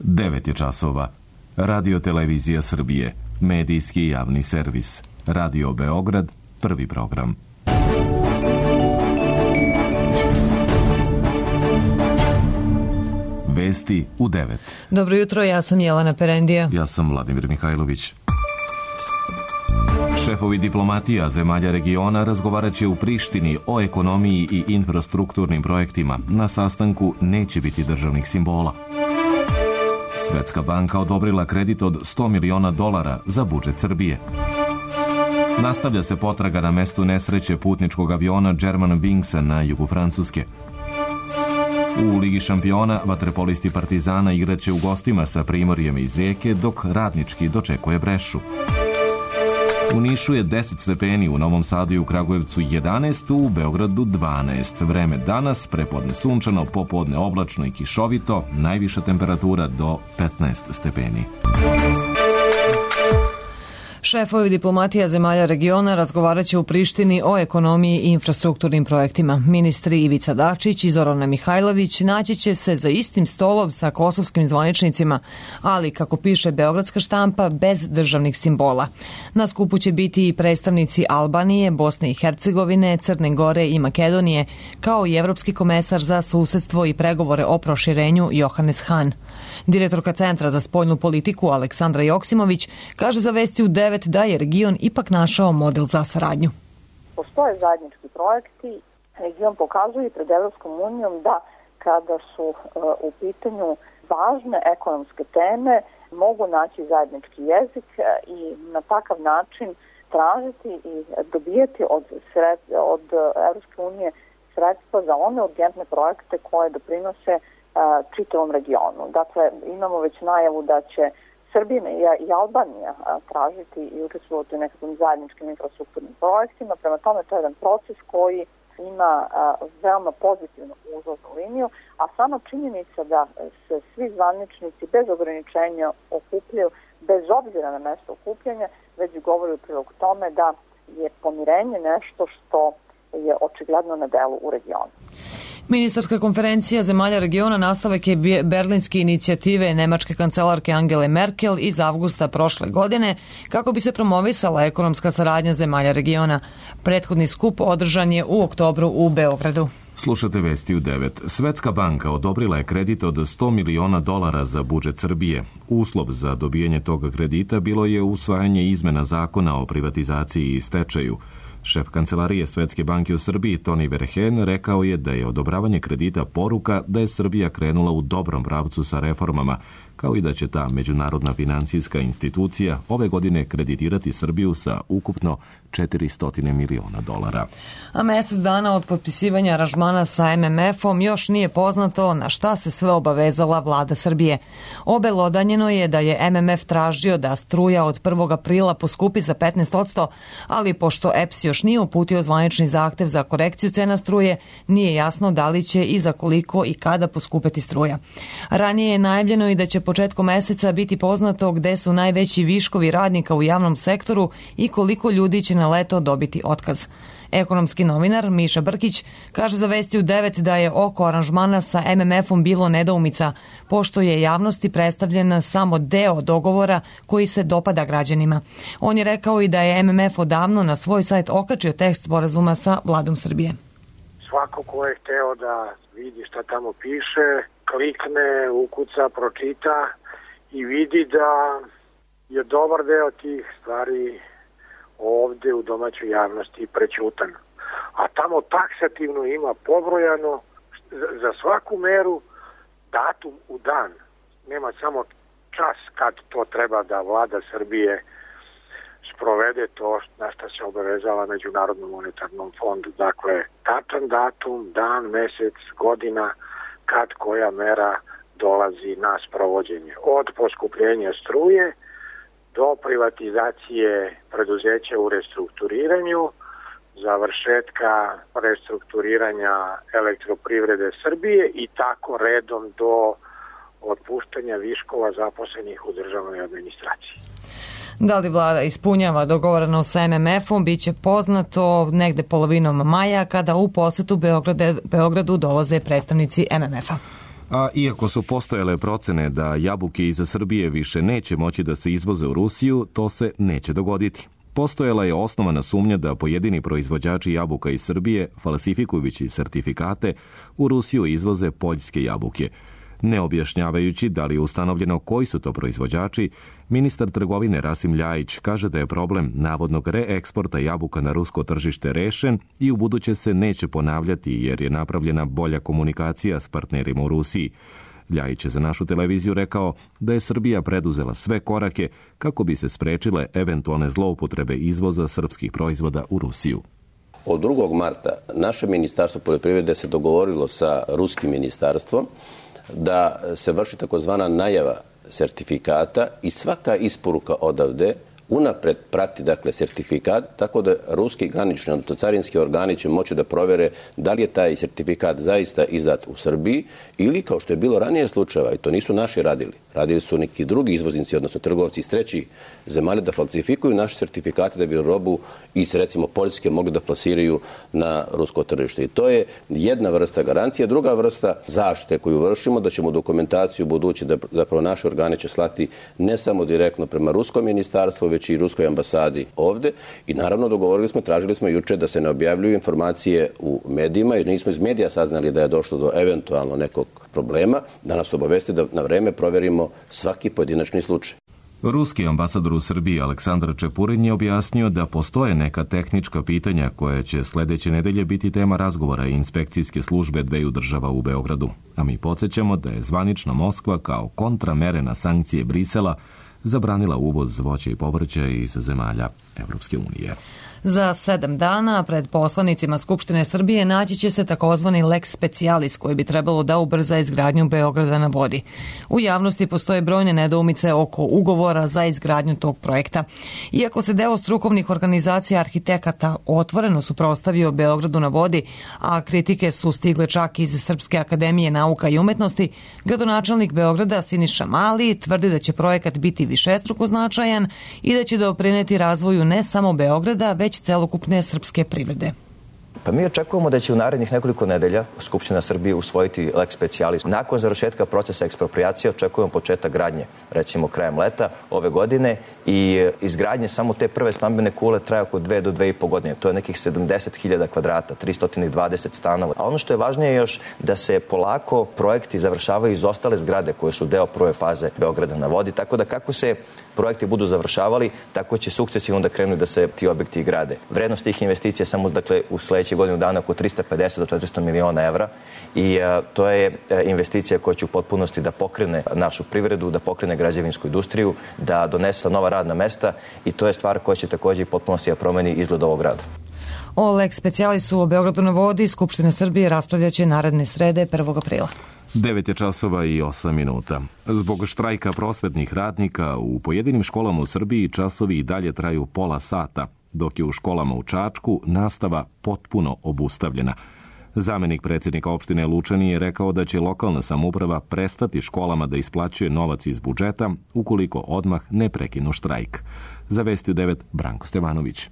9 je časova. Radio Televizija Srbije, medijski javni servis. Radio Beograd, prvi program. Vesti u 9. Dobro jutro, ja sam Jelena Perendija. Ja sam Vladimir Mihajlović. Šefovi diplomatija zemalja regiona razgovarat će u Prištini o ekonomiji i infrastrukturnim projektima. Na sastanku neće biti državnih simbola. Svetska banka odobrila kredit od $100 miliona za budžet Srbije. Nastavlja se potraga na mestu nesreće putničkog aviona Germanwingsa na jugu Francuske. U Ligi šampiona vaterpolisti Partizana igraće u gostima sa Primorjem iz Rijeke, dok Radnički dočekuje Brešu. U Nišu je 10 stepeni, u Novom Sadu i u Kragujevcu 11, u Beogradu 12. Vreme danas, prepodne sunčano, popodne oblačno i kišovito, najviša temperatura do 15 stepeni. Šefovi diplomatija zemalja regiona razgovarat će u Prištini o ekonomiji i infrastrukturnim projektima. Ministri Ivica Dačić i Zorana Mihajlović naći će se za istim stolom sa kosovskim zvaničnicima, ali, kako piše beogradska štampa, bez državnih simbola. Na skupu će biti i predstavnici Albanije, Bosne i Hercegovine, Crne Gore i Makedonije, kao i evropski komesar za susedstvo i pregovore o proširenju Johannes Hahn. Direktorka Centra za spoljnu politiku Aleksandra Joksimović kaže za Vesti u 9 da je region ipak našao model za saradnju. Postoje zajednički projekti. Region pokazuje pred Evropskom unijom da kada su u pitanju važne ekonomske teme mogu naći zajednički jezik i na takav način tražiti i dobijati od Evropske unije sredstva za one urgentne projekte koje doprinose čitavom regionu. Dakle, imamo već najavu da će Srbija i Albanija tražiti i učestvovati u nekakvim zajedničkim infrastrukturnim projektima. Prema tome, to je jedan proces koji ima veoma pozitivnu uzlaznu liniju, a sama činjenica da se svi zvaničnici bez ograničenja okupljaju, bez obzira na mesto okupljanja, već govori u prilog tome da je pomirenje nešto što je očigledno na delu u regionu. Ministarska konferencija zemalja regiona nastavak je berlinske inicijative nemačke kancelarke Angele Merkel iz avgusta prošle godine kako bi se promovisala ekonomska saradnja zemalja regiona. Prethodni skup održan je u oktobru u Beogradu. Slušate Vesti u 9. Svetska banka odobrila je kredit od $100 miliona za budžet Srbije. Uslov za dobijanje tog kredita bilo je usvajanje izmena zakona o privatizaciji i stečaju. Šef kancelarije Svetske banke u Srbiji, Toni Verheen, rekao je da je odobravanje kredita poruka da je Srbija krenula u dobrom pravcu sa reformama, kao i da će ta međunarodna financijska institucija ove godine kreditirati Srbiju sa ukupno $400 miliona. A mesec dana od potpisivanja aranžmana sa MMF-om još nije poznato na šta se sve obavezala vlada Srbije. Obelodanjeno je da je MMF tražio da struja od 1. aprila poskupi za 15%, ali pošto EPS još nije uputio zvanični zahtev za korekciju cena struje, nije jasno da li će i za koliko i kada poskupeti struja. Ranije je najavljeno i da će početkom meseca biti poznato gde su najveći viškovi radnika u javnom sektoru i koliko ljudi će na leto dobiti otkaz. Ekonomski novinar Miša Brkić kaže za Vesti u 9 da je oko aranžmana sa MMF-om bilo nedoumica, pošto je javnosti predstavljen samo deo dogovora koji se dopada građanima. On je rekao i da je MMF odavno na svoj sajt okačio tekst sporazuma sa vladom Srbije. Svako ko je hteo da vidi šta tamo piše, klikne, ukuca, pročita i vidi da je dobar deo tih stvari ovde u domaćoj javnosti prećutan. A tamo taksativno ima pobrojano za svaku meru datum u dan. Nema samo čas kad to treba da vlada Srbije sprovede to na što se obavezala Međunarodnom monetarnom fondu. Dakle, tačan datum, dan, mesec, godina, kad koja mera dolazi na sprovođenje. Od poskupljenja struje do privatizacije preduzeća u restrukturiranju, završetka restrukturiranja Elektroprivrede Srbije i tako redom do otpuštanja viškova zaposlenih u državnoj administraciji. Da li vlada ispunjava dogovoreno sa MMF-om biće poznato negde polovinom maja kada u posetu Beogradu dolaze predstavnici MMF-a. A iako su postojale procene da jabuke iz Srbije više neće moći da se izvoze u Rusiju, to se neće dogoditi. Postojala je osnovana sumnja da pojedini proizvođači jabuka iz Srbije, falsifikujući sertifikate, u Rusiju izvoze poljske jabuke. Ne objašnjavajući da li je ustanovljeno koji su to proizvođači, ministar trgovine Rasim Ljajić kaže da je problem navodnog reeksporta jabuka na rusko tržište rešen i ubuduće se neće ponavljati jer je napravljena bolja komunikacija s partnerima u Rusiji. Ljajić je za našu televiziju rekao da je Srbija preduzela sve korake kako bi se sprečile eventualne zloupotrebe izvoza srpskih proizvoda u Rusiju. Od 2. marta naše ministarstvo poljoprivrede se dogovorilo sa ruskim ministarstvom da se vrši takozvana najava sertifikata i svaka isporuka odavde unapred prati sertifikat, tako da ruski granični, odnosno carinski organi će moći da provere da li je taj sertifikat zaista izdat u Srbiji ili, kao što je bilo ranije slučajeva, i to nisu naši radili su neki drugi izvoznici, odnosno trgovci iz trećih zemalja da falsifikuju naše sertifikate da bi robu iz, recimo, Poljske mogli da plasiraju na rusko tržište. I to je jedna vrsta garancije. Druga vrsta zaštite koju vršimo, da ćemo dokumentaciju budući da zapravo naše organe će slati ne samo direktno prema ruskom ministarstvu, već i ruskoj ambasadi ovde. I naravno tražili smo juče da se ne objavljuju informacije u medijima, jer nismo iz medija saznali da je došlo do eventualno nekog problema, da nas obavesti da na vreme proverimo svaki pojedinačni slučaj. Ruski ambasador u Srbiji Aleksandar Čepurin je objasnio da postoje neka tehnička pitanja koje će sledeće nedelje biti tema razgovora i inspekcijske službe dveju država u Beogradu. A mi podsjećamo da je zvanična Moskva kao kontramere na sankcije Brisela zabranila uvoz voća i povrća iz zemalja Evropske unije. Za 7 dana pred poslanicima Skupštine Srbije naći će se takozvani lex specialis koji bi trebalo da ubrza izgradnju Beograda na vodi. U javnosti postoje brojne nedoumice oko ugovora za izgradnju tog projekta. Iako se deo strukovnih organizacija arhitekata otvoreno suprotstavio Beogradu na vodi, a kritike su stigle čak iz Srpske akademije nauka i umetnosti, gradonačelnik Beograda Siniša Mali tvrdi da će projekat biti višestruko značajan i da će doprineti razvoju ne samo Beograda, već celokupne srpske privrede. Pa mi očekujemo da će u narednih nekoliko nedelja Skupština Srbije usvojiti lex specialis. Nakon završetka procesa eksproprijacije očekujemo početak gradnje, recimo krajem leta ove godine, i izgradnje samo te prve stambene kule traje oko 2 do 2,5 godine. To je nekih 70.000 kvadrata, 320 stanova. A ono što je važnije još da se polako projekti završavaju iz ostale zgrade koje su deo prve faze Beograda na vodi, tako da kako se projekti budu završavali, tako će sukcesivno da krenu da se ti objekti grade. Vrednost tih investicija samo u sledećih godinu dana oko 350 do 400 miliona evra i to je investicija koja će u potpunosti da pokrene našu privredu, da pokrene građevinsku industriju, da donese nova radna mesta i to je stvar koja će takođe i potpunosti da promeni izgled ovog grada. O lex specialisu o Beogradu na vodi Skupština Srbije raspravljaće naredne srede 1. aprila. 9:08. Zbog štrajka prosvetnih radnika u pojedinim školama u Srbiji časovi i dalje traju pola sata, dok je u školama u Čačku nastava potpuno obustavljena. Zamenik predsjednika opštine Lučani je rekao da će lokalna samouprava prestati školama da isplaćuje novac iz budžeta ukoliko odmah ne prekinu štrajk. Za Vesti u 9 Branko Stevanović.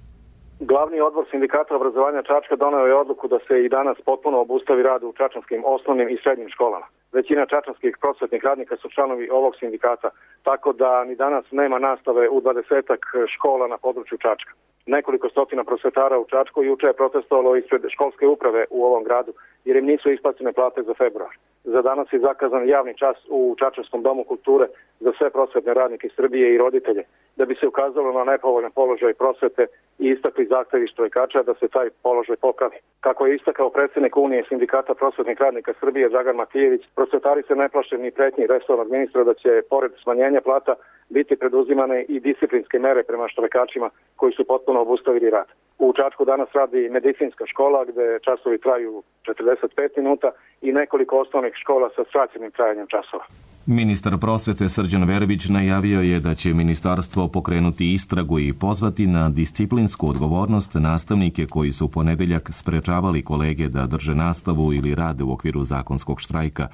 Glavni odbor sindikata obrazovanja Čačka doneo je odluku da se i danas potpuno obustavi rad u čačanskim osnovnim i srednjim školama. Većina čačanskih prosvetnih radnika su članovi ovog sindikata, tako da ni danas nema nastave u 20-ak škola na području Čačka. Nekoliko stotina prosvetara u Čačku juče je protestovalo ispred školske uprave u ovom gradu jer im nisu isplaćene plate za februar. Za danas je zakazan javni čas u Čačanskom domu kulture za sve prosvetne radnike Srbije i roditelje, da bi se ukazalo na nepovoljan položaj prosvete i istakli zahtevi štrajkača da se taj položaj popravi. Kako je istakao predsjednik Unije sindikata prosvetnih radnika Srbije Dragan Matijević, prosvetari se ne plaše ni pretnji resornog ministra da će pored smanjenja plata biti preduzimane i disciplinske mere prema štrajkačima koji su potpuno obustavili rad. U Čačku danas radi medicinska škola gde časovi traju 45 minuta i nekoliko osnovnih škola sa skraćenim trajanjem časova. Ministar prosvete Srđan Verbić najavio je da će ministarstvo pokrenuti istragu i pozvati na disciplinsku odgovornost nastavnike koji su u ponedeljak sprečavali kolege da drže nastavu ili rade u okviru zakonskog štrajka.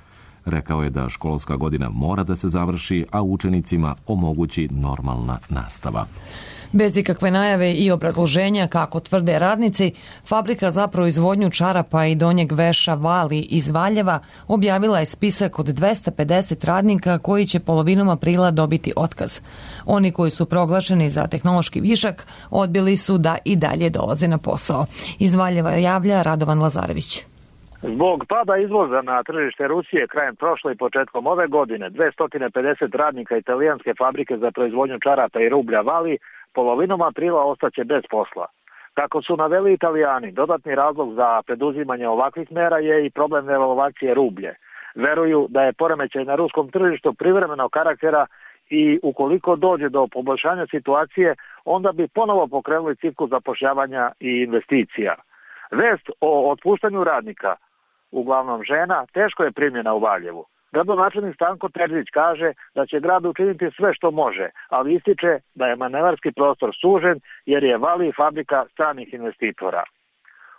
Rekao je da školska godina mora da se završi, a učenicima omogući normalna nastava. Bez ikakve najave i obrazloženja, kako tvrde radnici, fabrika za proizvodnju čarapa i donjeg veša Vali iz Valjeva objavila je spisak od 250 radnika koji će polovinom aprila dobiti otkaz. Oni koji su proglašeni za tehnološki višak odbili su da i dalje dolaze na posao. Iz Valjeva javlja Radovan Lazarević. Zbog pada izvoza na tržište Rusije krajem prošle i početkom ove godine, 250 radnika italijanske fabrike za proizvodnju čarapa i rublja Vali polovinom aprila ostaće bez posla. Kako su naveli Italijani, dodatni razlog za preduzimanje ovakvih mera je i problem devalvacije rublje. Veruju da je poremećaj na ruskom tržištu privremenog karaktera i ukoliko dođe do poboljšanja situacije, onda bi ponovo pokrenuli ciklus zapošljavanja i investicija. Vest o otpuštanju radnika, uglavnom žena, teško je primljena u Valjevu. Gradonačelnik Stanko Terzić kaže da će grad učiniti sve što može, ali ističe da je manevarski prostor sužen jer je Vali fabrika stranih investitora.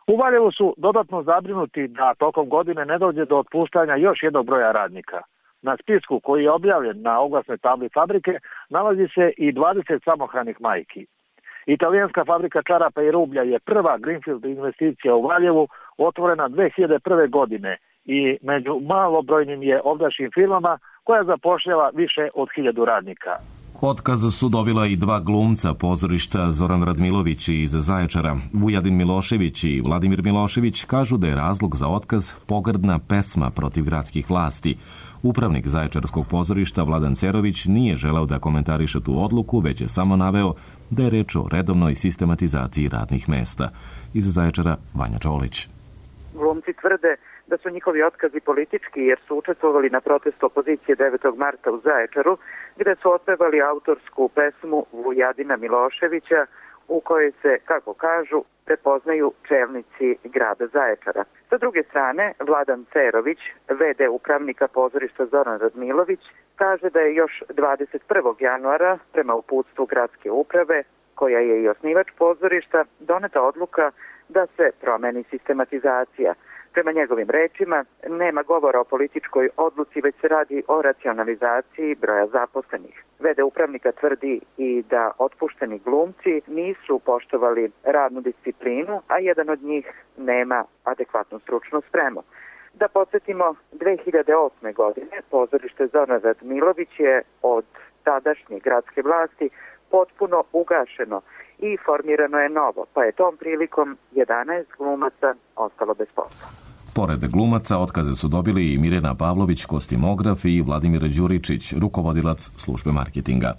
U Valjevu su dodatno zabrinuti da tokom godine ne dođe do otpuštanja još jednog broja radnika. Na spisku koji je objavljen na oglasnoj tabli fabrike nalazi se i 20 samohranih majki. Italijanska fabrika čarapa i rublja je prva greenfield investicija u Valjevu, otvorena 2001. godine i među malobrojnim je ovdašnjim firmama koja zapošljava više od 1000 radnika. Otkaz su dobila i dva glumca pozorišta, Zoran Radmilović iz Zaječara. Vujadin Milošević i Vladimir Milošević kažu da je razlog za otkaz pogrdna pesma protiv gradskih vlasti. Upravnik Zaječarskog pozorišta Vladan Cerović nije želeo da komentariše tu odluku, već je samo naveo da je reč o redovnoj sistematizaciji radnih mesta. Iz Zaječara Vanja Čolić. Glumci tvrde da su njihovi otkazi politički jer su učestvovali na protestu opozicije 9. marta u Zaječaru, gde su otpevali autorsku pesmu Vujadina Miloševića u kojoj se, kako kažu, prepoznaju čelnici grada Zaječara. Sa druge strane, Vladan Cerović, VD upravnika pozorišta Zoran Radmilović, kaže da je još 21. januara prema uputstvu gradske uprave, koja je i osnivač pozorišta, doneta odluka da se promeni sistematizacija. Prema njegovim rečima, nema govora o političkoj odluci, već se radi o racionalizaciji broja zaposlenih. VD upravnika tvrdi i da otpušteni glumci nisu poštovali radnu disciplinu, a jedan od njih nema adekvatnu stručnu spremu. Da podsjetimo, 2008. godine pozorište Zoran Radmilović je od tadašnje gradske vlasti potpuno ugašeno i formirano je novo, pa je tom prilikom 11 glumaca ostalo bez posla. Pored glumaca, otkaze su dobili i Mirjana Pavlović, kostimograf, i Vladimir Đuričić, rukovodilac službe marketinga.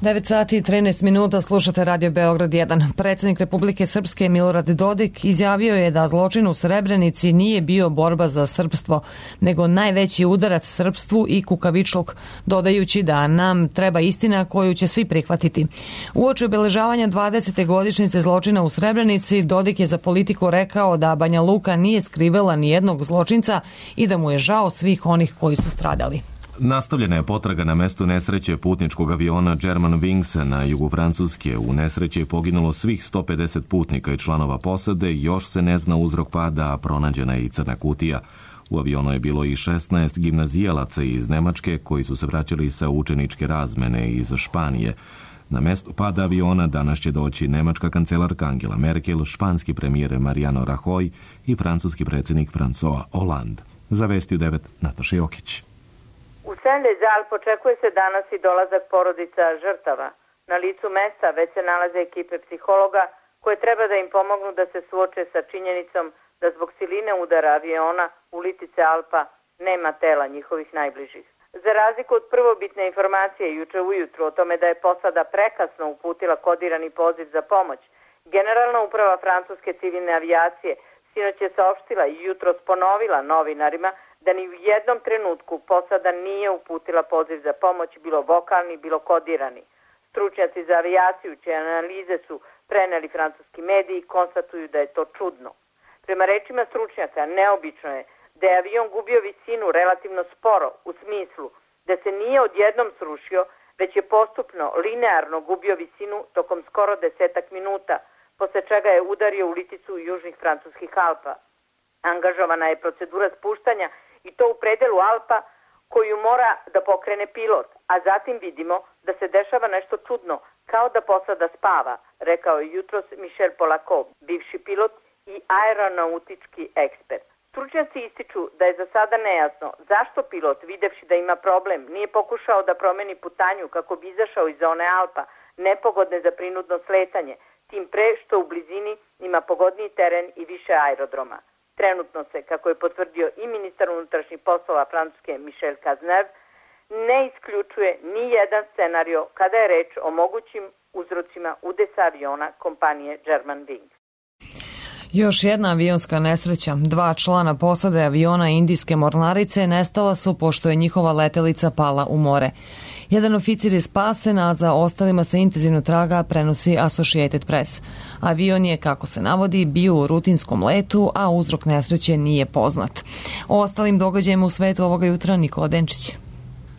9 sati i 13 minuta, slušate Radio Beograd 1. Predsjednik Republike Srpske Milorad Dodik izjavio je da zločin u Srebrenici nije bio borba za srpstvo, nego najveći udarac srpstvu i kukavičluk, dodajući da nam treba istina koju će svi prihvatiti. Uoči obeležavanja 20. godišnjice zločina u Srebrenici, Dodik je za Politiku rekao da Banja Luka nije skrivala ni jednog zločinca i da mu je žao svih onih koji su stradali. Nastavljena je potraga na mestu nesreće putničkog aviona Germanwings na jugu Francuske. U nesreći je poginulo svih 150 putnika i članova posade, još se ne zna uzrok pada, a pronađena je i crna kutija. U avionu je bilo i 16 gimnazijalaca iz Nemačke koji su se vraćali sa učeničke razmene iz Španije. Na mesto pada aviona danas će doći nemačka kancelarka Angela Merkel, španski premijer Mariano Rajoy i francuski predsjednik François Hollande. Za Vesti u 9 Nataša Jokić. U Saint-Lazare očekuje se danas i dolazak porodica žrtava. Na licu mesta već se nalaze ekipe psihologa koje treba da im pomognu da se suoče sa činjenicom da zbog siline udara aviona u litice Alpa nema tela njihovih najbližih. Za razliku od prvobitne informacije juče ujutru o tome da je posada prekasno uputila kodirani poziv za pomoć, Generalna uprava francuske civilne avijacije sinoć je saopštila i jutros ponovila novinarima da ni u jednom trenutku posada nije uputila poziv za pomoć, bilo vokalni, bilo kodirani. Stručnjaci za avijaciju, čije analize su preneli francuski mediji, konstatuju da je to čudno. Prema rečima stručnjaka, neobično je da je avion gubio visinu relativno sporo, u smislu da se nije odjednom srušio, već je postupno, linearno gubio visinu tokom skoro 10 minuta, posle čega je udario u liticu južnih francuskih Alpa. Angažovana je procedura spuštanja i to u predelu Alpa koju mora da pokrene pilot, a zatim vidimo da se dešava nešto čudno, kao da posada spava, rekao je jutros Michel Polakov, bivši pilot i aeronautički ekspert. Stručnjaci ističu da je za sada nejasno zašto pilot, videvši da ima problem, nije pokušao da promeni putanju kako bi izašao iz zone Alpa, nepogodne za prinudno sletanje, tim pre što u blizini ima pogodniji teren i više aerodroma. Trenutno se, kako je potvrdio i ministar unutrašnjih poslova Francuske Michel Cazeneuve, ne isključuje ni jedan scenario kada je reč o mogućim uzrocima udesa aviona kompanije Germanwings. Još jedna avionska nesreća. 2 člana posade aviona indijske mornarice nestala su pošto je njihova letelica pala u more. Jedan oficir je spasen, a za ostalima se intenzivno traga, prenosi Associated Press. Avion je, kako se navodi, bio u rutinskom letu, a uzrok nesreće nije poznat. O ostalim događajima u svetu ovoga jutra Nikola Denčić.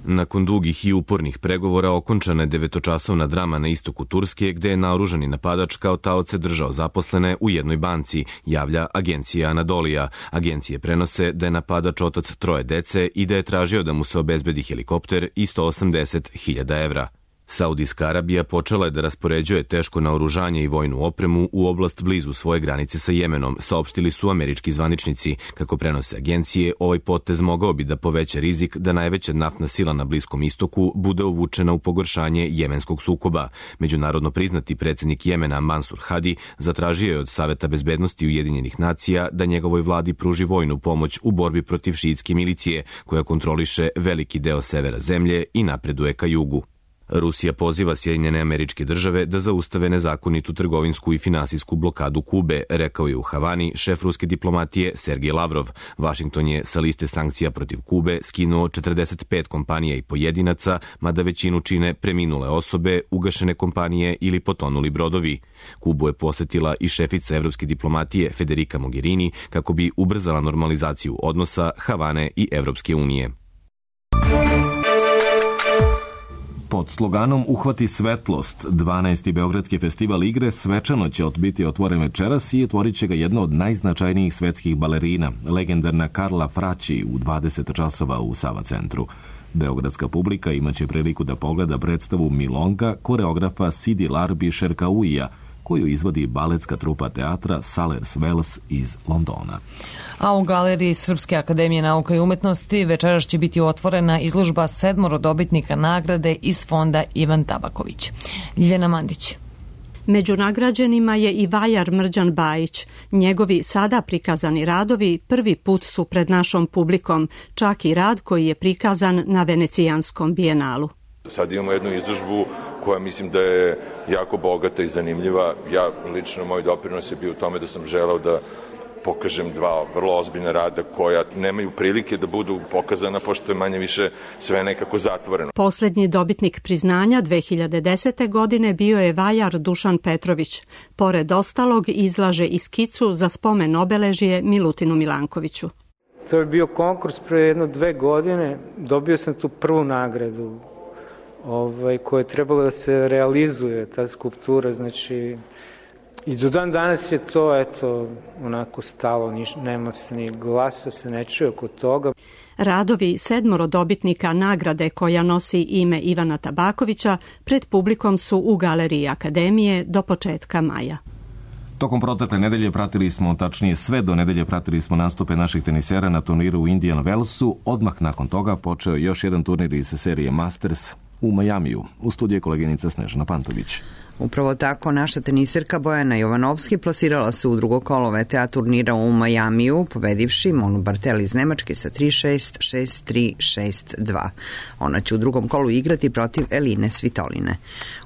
Nakon dugih i upornih pregovora okončana je 9-časovna drama na istoku Turske, gde je naoružani napadač kao taoce držao zaposlene u jednoj banci, javlja agencija Anadolija. Agencije prenose da je napadač otac 3 dece i da je tražio da mu se obezbedi helikopter i 180.000 evra. Saudijska Arabija počela je da raspoređuje teško naoružanje i vojnu opremu u oblast blizu svoje granice sa Jemenom, saopštili su američki zvaničnici. Kako prenose agencije, ovaj potez mogao bi da poveća rizik da najveća naftna sila na Bliskom istoku bude uvučena u pogoršanje jemenskog sukoba. Međunarodno priznati predsjednik Jemena Mansur Hadi zatražio je od Saveta bezbednosti Ujedinjenih nacija da njegovoj vladi pruži vojnu pomoć u borbi protiv šiitske milicije, koja kontroliše veliki deo severa zemlje i napreduje ka jugu. Rusija poziva Sjedinjene Američke Države da zaustave nezakonitu trgovinsku i finansijsku blokadu Kube, rekao je u Havani šef ruske diplomatije Sergej Lavrov. Vašington je sa liste sankcija protiv Kube skinuo 45 kompanija i pojedinaca, mada većinu čine preminule osobe, ugašene kompanije ili potonuli brodovi. Kubu je posetila i šefica evropske diplomatije Federica Mogherini kako bi ubrzala normalizaciju odnosa Havane i Evropske unije. Pod sloganom Uhvati svetlost, 12. Beogradski festival igre svečano će biti otvoren večeras i otvorit će ga jedna od najznačajnijih svetskih balerina, legendarna Karla Fraći u 20 časova u Sava centru. Beogradska publika imaće priliku da pogleda predstavu Milonga koreografa Sidi Larbi Šerkauija, koju izvodi baletska trupa teatra Salers Wells iz Londona. A u galeriji Srpske akademije nauka i umetnosti večeras će biti otvorena izložba 7 dobitnika nagrade iz fonda Ivan Tabaković. Ljiljana Mandić. Među nagrađenima je i vajar Mrđan Bajić. Njegovi sada prikazani radovi prvi put su pred našom publikom, čak i rad koji je prikazan na Venecijanskom bijenalu. Sad imamo jednu izložbu koja mislim da je jako bogata i zanimljiva. Ja lično, moj doprinos je bio u tome da sam želeo da pokažem 2 vrlo ozbiljna rada koja nemaju prilike da budu pokazana pošto je manje više sve nekako zatvoreno. Poslednji dobitnik priznanja 2010. godine bio je vajar Dušan Petrović. Pored ostalog izlaže i skicu za spomen obeležje Milutinu Milankoviću. To je bio konkurs pre 1-2 godine. Dobio sam tu prvu nagradu koja je trebalo da se realizuje, ta skulptura, znači i do dan danas je to, onako stalo, nema se ni glasa, se ne čuje oko toga. Radovi 7 dobitnika nagrade koja nosi ime Ivana Tabakovića pred publikom su u galeriji Akademije do početka maja. Tokom protekle nedelje pratili smo, tačnije sve do nedelje pratili smo nastupe naših tenisera na turniru u Indian Wellsu. Odmah nakon toga počeo još jedan turnir iz serije Masters u Majamiju. U studiju je koleginica Snežana Pantović. Upravo tako, naša teniserka Bojana Jovanovski plasirala se u drugo kolo VTA turnira u Majamiju, pobedivši Monu Bartel iz Nemačke sa 3-6, 6-3, 6-2. Ona će u drugom kolu igrati protiv Eline Svitoline.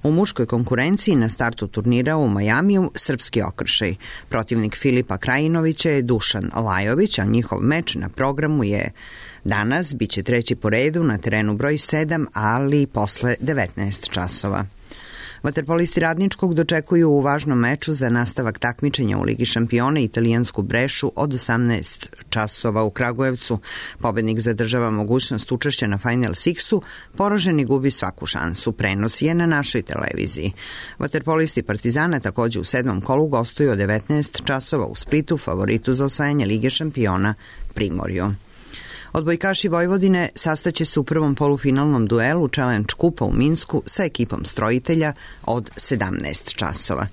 U muškoj konkurenciji na startu turnira u Majamiju srpski okršaj. Protivnik Filipa Krajinovića je Dušan Lajović, a njihov meč na programu je danas, bit će 3. po redu na terenu broj 7, ali posle 19 časova. Vaterpolisti Radničkog dočekuju u važnom meču za nastavak takmičenja u Ligi šampiona italijansku Brešu od 18 časova u Kragujevcu. Pobednik zadržava mogućnost učešća na Final Sixu, poraženi gubi svaku šansu. Prenos je na našoj televiziji. Vaterpolisti Partizana takođe u 7. kolu gostuju od 19 časova u Splitu, favoritu za osvajanje Lige šampiona Primorju. Odbojkaši Vojvodine sastaće se u prvom polufinalnom duelu Challenge Kupa u Minsku sa ekipom strojitelja od 17 časova.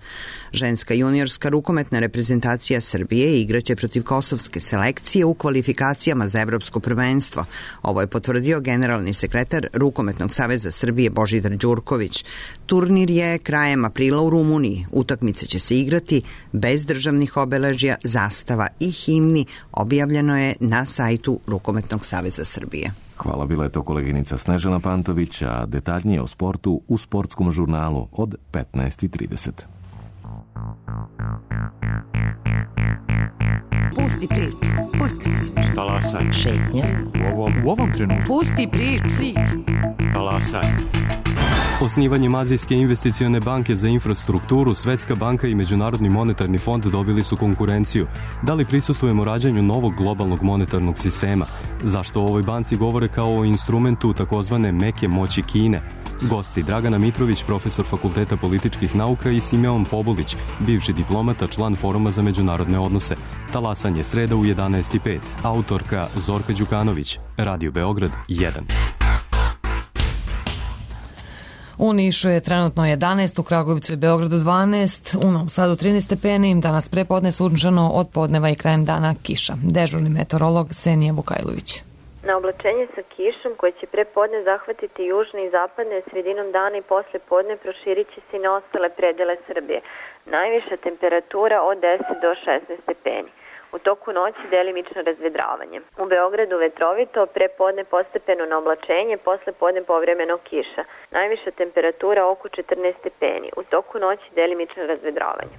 Ženska juniorska rukometna reprezentacija Srbije igraće protiv kosovske selekcije u kvalifikacijama za evropsko prvenstvo. Ovo je potvrdio generalni sekretar Rukometnog saveza Srbije Božidar Đurković. Turnir je krajem aprila u Rumuniji. Utakmice će se igrati bez državnih obeležja, zastava i himni. Objavljeno je na sajtu Rukometnog saveza Srbije. Hvala, bila je to koleginica Snežana Pantović, a detaljnije o sportu u sportskom žurnalu od 15:30. Pusti priču. Pusti priču. Talasaj. Šetnja. U ovom trenutku. Pusti priču. Talasaj. Osnivanjem Azijske investicione banke za infrastrukturu, Svetska banka i Međunarodni monetarni fond dobili su konkurenciju. Da li prisustvujemo rađanju novog globalnog monetarnog sistema? Zašto o ovoj banci govore kao o instrumentu takozvane meke moći Kine? Gosti Dragana Mitrović, profesor Fakulteta političkih nauka, i Simeon Pobulić, bivši diplomata, član Foruma za međunarodne odnose. Talasanje sreda u 11:05. Autorka Zorka Đukanović. Radio Beograd 1. U Nišu je trenutno 11, u Kragujevcu i Beogradu 12, u Novom Sadu 13 stepeni, danas prepodne sunčano, od podneva i krajem dana kiša. Dežurni meteorolog Senija Vukajlović. Na oblačenje sa kišom koje će prepodne zahvatiti južne i zapadne, sredinom dana i posle podne proširit će se i na ostale predele Srbije. Najviša temperatura od 10 do 16 stepeni. U toku noći delimično razvedravanje. U Beogradu vetrovito, prepodne postepeno na oblačenje, posle podne povremeno kiša. Najviša temperatura oko 14 stepeni. U toku noći delimično razvedravanje.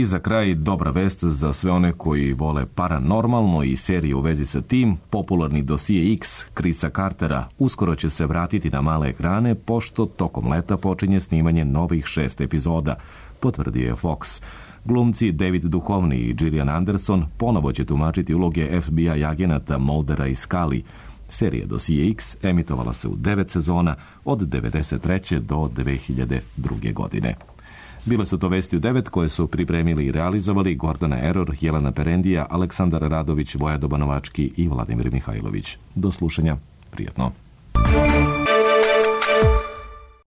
I za kraj dobra vest za sve one koji vole paranormalno i serije u vezi sa tim. Popularni dosije X Chrisa Cartera uskoro će se vratiti na male ekrane, pošto tokom leta počinje snimanje novih 6 epizoda, potvrdio je Fox. Glumci David Duchovny i Gillian Anderson ponovo će tumačiti uloge FBI agenata Muldera i Scully. Serija Dosije X emitovala se u 9 sezona od 1993. do 2002. godine. Bile su to vesti u 9 koje su pripremili i realizovali Gordana Error, Jelena Perendija, Aleksandar Radović, Voja Dobanovački i Vladimir Mihajlović. Do slušanja. Prijatno.